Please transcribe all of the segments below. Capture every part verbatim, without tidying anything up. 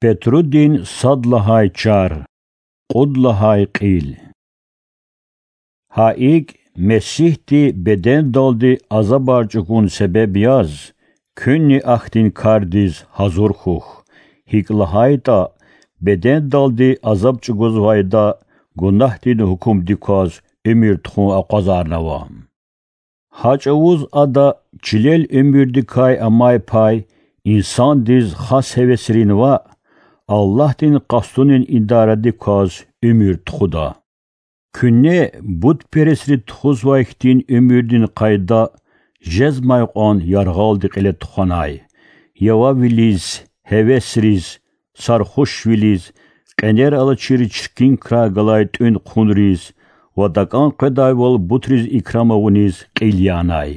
Петрудин сад лагьай чар, кьуд лагьай кьил. Гьа икӀ, Месигьди бедендалди азабар чӀугун себеб яз, куьнни ахьтин кардиз гьазур хьухь, гьикӀ лагьайтӀа бедендалди азаб чӀугвазвайда гунагьдин гьукумдик кваз уьмуьр тухун акъвазарнава. Гьа чӀавуз ада чилел уьмуьрдикай амай пай инсандиз хас гьевесрин ваъ, Аллагьдин къастунин идарадик кваз уьмуьр тухуда. Куьне бутпересри тухузвай хьтин уьмуьрдин къайда жезмай кьван яргъалди кьиле тухванай: явавилиз, гьевесриз, сархушвилиз, кьенер алачир чиркин крар галай тӀуьн хъунриз ва такӀан къведайвал бутриз икрам авуниз кьил янай.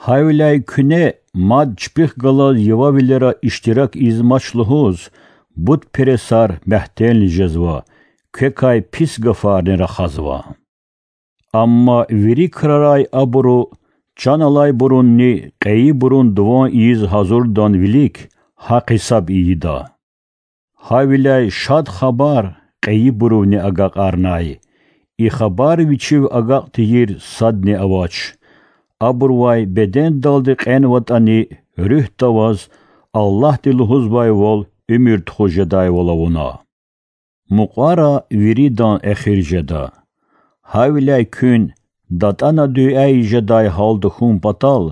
Гьавиляй куьне мад чпихъ галаз явавилера иштирак ийизмач лугьуз, бутпересар мягьтелни жезва, квекай пис гафарни рахазва. Амма вири крарай абуру, чан алайбурунни кьейибурун дуван ийиз гьазурдан вилик гьахъ-гьисаб ийида. Гьавиляй Шад Хабар кьейибурувни агакьарнай. И хабар вичив агакь тийир садни авач. Абурувай бедендалди кьенватӀани, руьгьда ваз Аллагьди лугьузвайвал уьмуьр тухуз жедайвал авуна. Мукьвара виридан эхир жеда. Гьавиляй куьн, датӀана дуьа ийиз жедай гьал тахьун патал,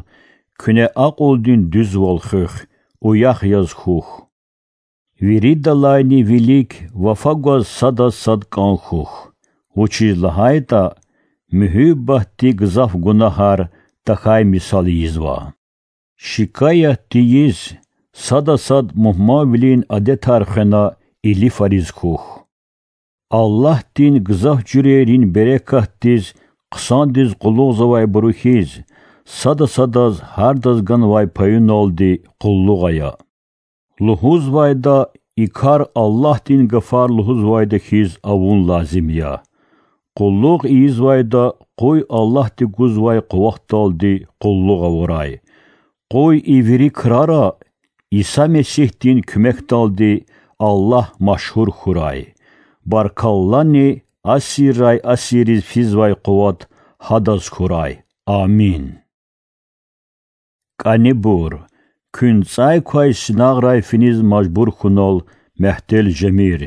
куьне акьулдин дуьзвал хуьх, уях яз хьухь. Виридалайни вилик вафа гваз садаз сад кӀан хьухь, вучиз лагьайтӀа муьгьуьббатди гзаф гунагьар тахьай мисал ийизва. Шикаят тийиз, сада сад мугьманвилин адетар хвена илифариз хьухь. Аллагьдин гзаф жуьрейрин берекатдиз хъсандиз къуллугъзавайбуру хьиз, сада садаз гьардаз ганвай паюналди къуллугъ ая. Лугьузвайда, и кар Аллагьдин гафар лугьузвайда хьиз авун лазим я. Къуллугъ ийизвайда къуй Аллагьди гузвай къуватдалди къуллугъ авурай. Къуй и вири крара Иса Месигьдин куьмекдалди Аллагь машгьур хьурай. Баркаллани асиррай асирриз физвай къуват Гьадаз хьурай. Амин. КӀанибур, куьн цӀай квай синагърай финиз мажбур хьунал мягьтел жемир,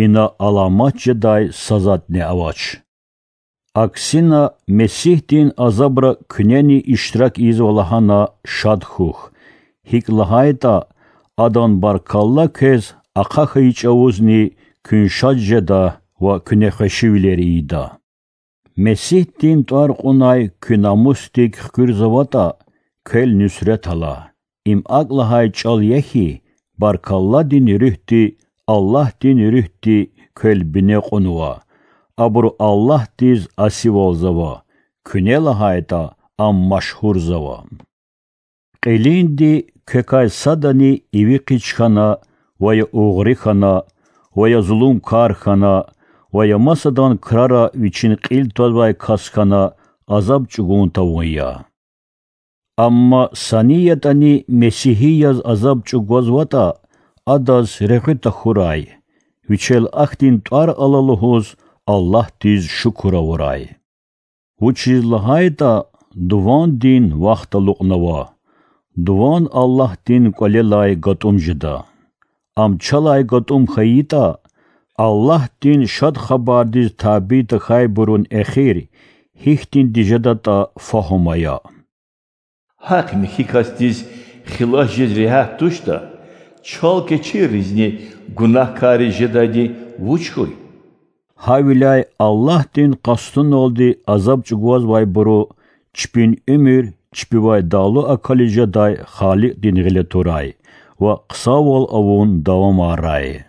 ина аламат жедай са затӀни авач. Аксина, Месигьдин азабра куьнени иштирак ийизва лагьана шад хьухь, гьикӀ лагьайтӀа Адан баркалла квез ахъа хьайи чӀавузни куьн шад жеда ва куьне хвешивилер ийида. Месигьдин тӀвар кьунай куь намусдик хкуьрзаватӀа, квел нуьсрет ала. Им акӀ лагьай чӀал я хьи, баркалладин руьгьди, Аллагьдин руьгьди квел бине кьунва. Абуру Аллагьдиз асивалзава, куьне лагьайтӀа, Ам машгьурзава. Кьилинди квекай садани иви къич хьана, ва я угъри хьана, ва я зулумкар хьана, ва я масадан крара вичин кьил твазвай кас хьана азаб чӀугун тавун я. Амма са ни ятӀани месигьи яз азаб чӀугвазватӀа, адаз регъуь тахьурай, вичел ахьтин тӀвар ала лугьуз Аллагьдиз шукур авурай. Вучиз лагьайтӀа дувандин вахт алукьнава, дуван Аллагьдин кӀвалелай гатӀум жеда. Ам чалай гатӀум хьайитӀа, Аллагьдин Шад Хабардиз табий тахьайбурун эхир гьихьтинди жедатӀа фагьум ая. Гьахъ михьи касдиз хилас жез регьят туштӀа, чал кечирризни гунагькарриз жедайди вуч хьуй? Гьавиляй Аллагьдин къастуналди азаб чӀугвазвайбуру чпин уьмуьр чпивай далу акализ жедай Халикьдин гъиле турай ва хъсанвал авун давамарай.